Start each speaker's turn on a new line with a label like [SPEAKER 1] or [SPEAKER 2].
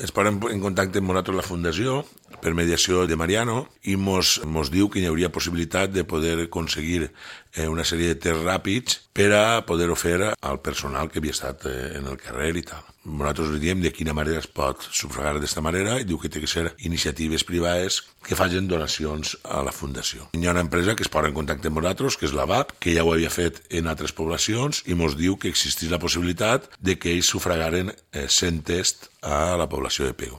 [SPEAKER 1] Es posen en contacte amb nosaltres la Fundació per mediació de Mariano i mos diu que hi hauria possibilitat de poder aconseguir una sèrie de tests ràpids per a poder-ho fer al personal que havia estat en el carrer i tal. Nosaltres diem de quina manera es pot sufragar d'esta manera i diu que té que ser iniciatives privades que facin donacions a la Fundació. Hi ha una empresa que es posa en contacte amb nosaltres, que és la VAP, que ja ho havia fet en altres poblacions i mos diu que existís la possibilitat de que ells sufragaren 100 tests a la població de Pego.